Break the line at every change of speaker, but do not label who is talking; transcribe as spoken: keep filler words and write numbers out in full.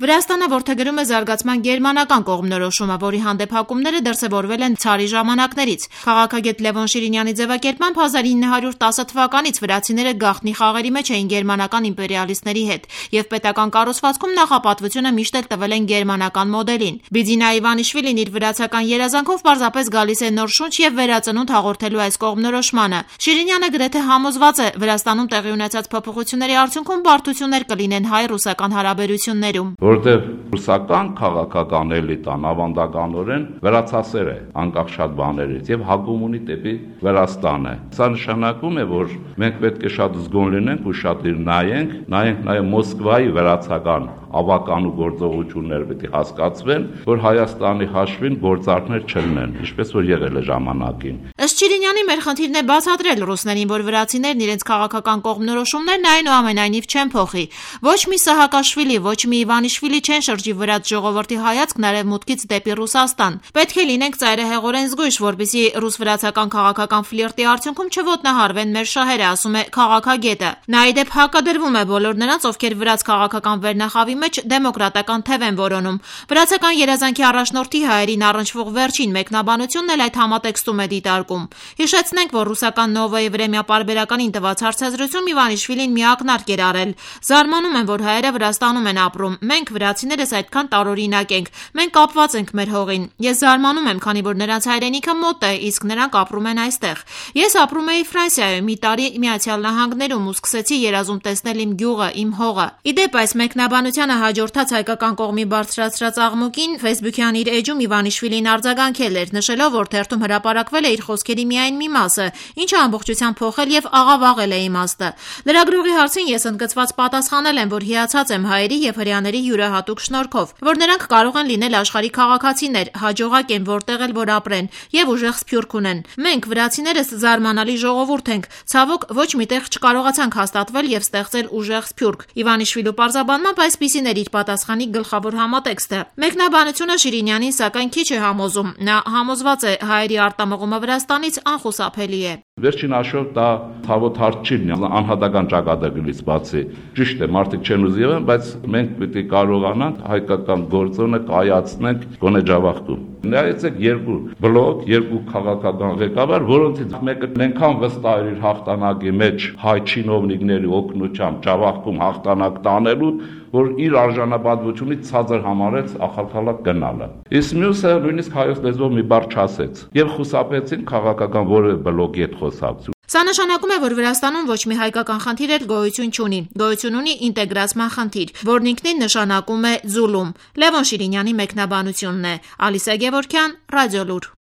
Վրաստանը որդեգրում է զարգացման գերմանական կողմնորոշումը, որի հանդեպ հակումները դրսևորվել են ցարի ժամանակներից։ Քաղաքագետ Լևոն Շիրինյանի ձևակերպմամբ հազար ինը հարյուր տասը թվականից վրացիները գաղտնի խաղերի մեջ էին գերմանական իմպերիալիստների հետ, եւ պետական կառուցվածքում նախապատվությունը միշտ էլ տվել են գերմանական մոդելին։ Բիձինա Իվանիշվիլին իր վրացական երազանքով պարզապես գալիս է նոր շունչ եւ վերածնունդ հաղորդելու այս կողմնորոշմանը։ Շիրինյանը գրեթե համոզված է, Վրաստանում տեղի ունեցած փոփոխությունների արդյունքում բարդություններ կլինեն հայ-ռուսական հարաբերություններում։
Որտեղ ռուսական քաղաքական էլիտան ավանդականորեն վրացասեր է, անկախ շատ բաներից եւ հակում ունի դեպի Վրաստանը։ Սա նշանակում է, որ մենք պետք է շատ զգոն լինենք ու շատ իր նայենք, նայենք նաեւ Մոսկվայի վրացական ավական ու գործողություններ պետք է հասկացվեն, որ Հայաստանի հաշվին գործարքներ չլինեն, ինչպես որ եղել է ժամանակին։
Ըստ Շիրինյանի մեր խնդիրն է բացատրել ռուսներին, որ վրացիներն իրենց քաղաքական կողմնորոշումներն այնուամենայնիվ չեն փոխի։ Ոչ մի Սահակաշվիլի, ոչ մի Իվանիշվիլի չեն շրջի վրաց ժողովրդի հայացքն արևմուտքից դեպի Ռուսաստան։ Պետք է լինենք ծայրահեղորեն զգույշ, որպեսզի ռուս-վրացական քաղաքական ֆլիրտի արդյունքում չոտնահարվեն մեր շահերը, ասում է քաղաքագետը։ Նա ի դեպ հակադրվում է բոլոր նրանց, ովքեր վրաց քաղաքական վերնախավի մեջ դեմոկրատական թև են որոնում։ Վրացական երազանքի առաջնորդի հայերին առնչվող վերջին մեկնաբանությունն էլ այդ համատեքստում է դիտարկում։ Հիշեցնենք, որ ռուսական Նովոյի Վրեմյա պարբերականին տված հարցազրույցում Իվանիշվիլին մի ակնարկ էր արել։ Զարմանում եմ, որ հայերը Վրաստանում են ապրում։ Մենք վրացիներս այդքան տարօրինակ ենք։ Մենք կապված ենք մեր հողին։ Ես զարմանում եմ, քանի որ նրանց հայրենիքը մոտ է, իսկ նրանք ապրում են այստեղ։ Ես ապրում էի Ֆրանսիայում մի տարի Միացյալ Նահանգներում ու սկսեցի երազում տեսնել իմ գյուղը, իմ հողը։ Ի դեպ, այս մեկնաբանությանը հաջորդած հայկական կողմի բարձրացրած աղմուկին Facebook-յան իր էջում Իվանիշվիլին արձագանքել էր, նշելով, որ թերթում հրապարակվել է իր խոսքերի միայն մի մասը, ինչը ամբողջությամբ փոխել եւ աղավաղել է իմաստը։ Լրագրողի հարցին ես ընդգծված պատասխանել եմ, որ հիացած եմ հայերի եւ հրեաների յուրահատուկ շնորհքով, որ նրանք կարող են լինել աշխարհի քաղաքացիներ, հաջողակ են որտեղ էլ որ ապրեն եւ ուժեղ սփյուռք ունեն։ Մենք վրացիներս զարմանալի ժողովուրդ ենք, ցավոք ոչ միտեղ չկարողացանք հաստատվել եւ ստեղծել ուժեղ սփյուռք։ Իվանիշվիլու պարզաբանմամբ այսպիսին էր իր պատասխանի գլխավոր համատեքստը։ Մեկնաբանությունը Շիրինյանին սակայն քիչ է համոզում։ Նա համոզված է հայերի արտամողումը Վրաստանից անխուսափելի է։
Վերջին հաշվով դա ցավոտ հարց չի լինի, անհատական ճակատագրից բացի։ Ճիշտ է, մարդիկ չեն ուզի եղան, բայց մենք պետք է կարողանանք հայկական գործոնը կայացնենք գոնե Ջավախքում։ Նայեցեք երկու բլոկ, երկու քաղաքական ղեկավար, որոնցից մեկը այնքան վստահ էր իր հաղթանակի մեջ հայ չինովնիկների օգնությամբ Ջավախքում հաղթանակ տանելու, որ իր արժանապատվությունից ցածր համարեց ախալքալակ գնալը։ Իսկ մյուսը նույնիսկ հայոց լեզվով մի բառ չասեց եւ խուսափեցին քաղաքական որևէ բլոկի հետ խոսակցություն։
Սա նշանակում է, որ Վրաստանում ոչ մի հայկական խնդիր էլ գոյություն չունի։ Գոյություն ունի ինտեգրացման խնդիր, որն ինքնին նշանակում է ձուլում։ Լևոն Շիրինյանի մեկնաբանությունն է։ Ալիսա Գևորգյան, Ռադիոլուր։